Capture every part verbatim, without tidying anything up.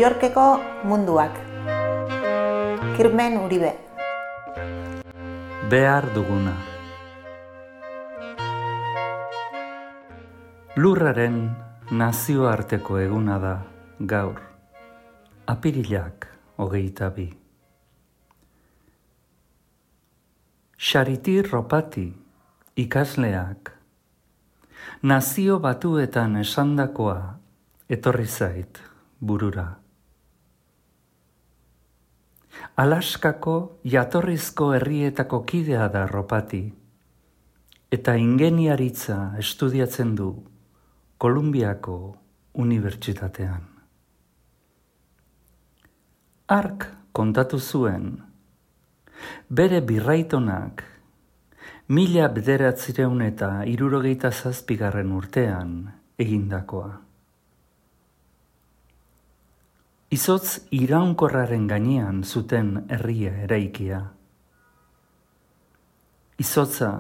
Mallorqueko munduak. Kirmen Uribe. Behar duguna. Lurraren nazioarteko eguna da gaur, apirilak hogeita bi. Charity Ropati ikasleak nazio batuetan esandakoa etorri zait burura. Alaskako jatorrizko herrietako kidea da Ropati, eta ingeniaritza estudiatzen du Kolumbiako unibertsitatean. Hark kontatu zuen, bere birraitonak mila bederatzireun eta hirurogeita zazpigarren urtean egindakoa. Izotz iraunkorraren gainean zuten herria eraikia. Izotza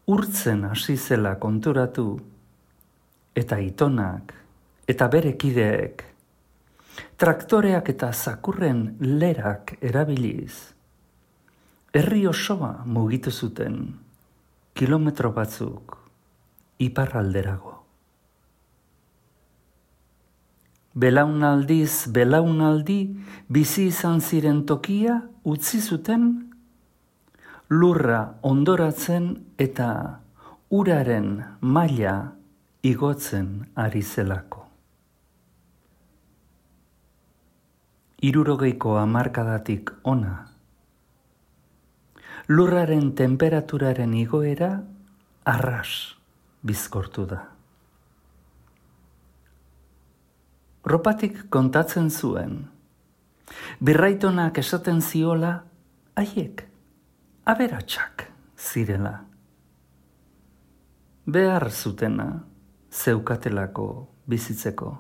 urtzen hasi zela konturatu, eta itonak eta bere kideek traktoreak eta zakurren lerak erabiliz, herri osoa mugitu zuten kilometro batzuk iparralderago. Belaunaldiz belaunaldi bizi izan ziren tokia utzi zuten lurra ondoratzen eta uraren maila igotzen ari zelako. Hirurogeiko hamarkadatik ona, lurraren temperaturaren igoera arras bizkortu da. Ropatik kontatzen zuen, birraitonak esaten ziola, haiek aberatsak zirela. Behar zutena zeukatelako bizitzeko.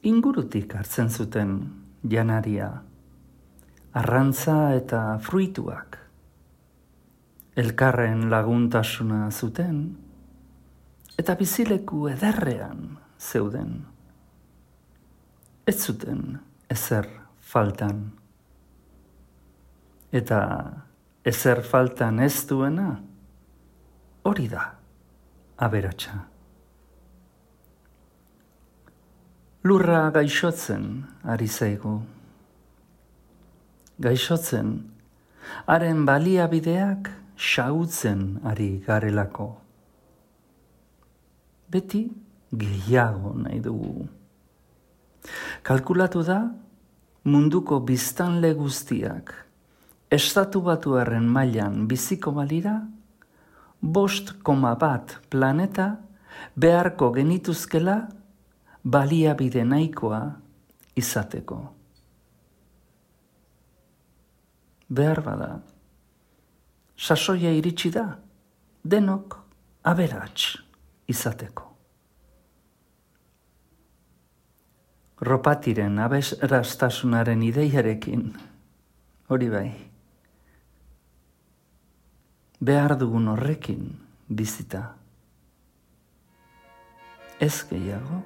Ingurutik hartzen zuten janaria, arrantza eta fruituak. Elkarren laguntasuna zuten, eta bizileku ederrean zeuden. Ez zuten ezer faltan. Eta ezer faltan ez duena, hori da aberatsa. Lurra gaixotzen ari zaigu. Gaixotzen, haren baliabideak xahutzen ari garelako. Beti gehiago nahi dugu. Kalkulatu da, munduko biztanle guztiak estatu batuarren mailan biziko balira, bost koma bat planeta beharko genituzkela baliabide nahikoa izateko. Behar bada, sasoia iritsi da, denok aberats izateko. Ropatiren aberastasunaren ideiarekin, hori bai, behar dugun horrekin bizita. Ez gehiago,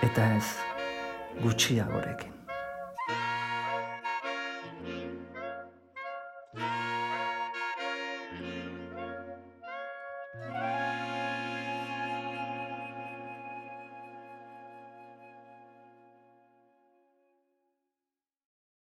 eta ez gutxiagorekin.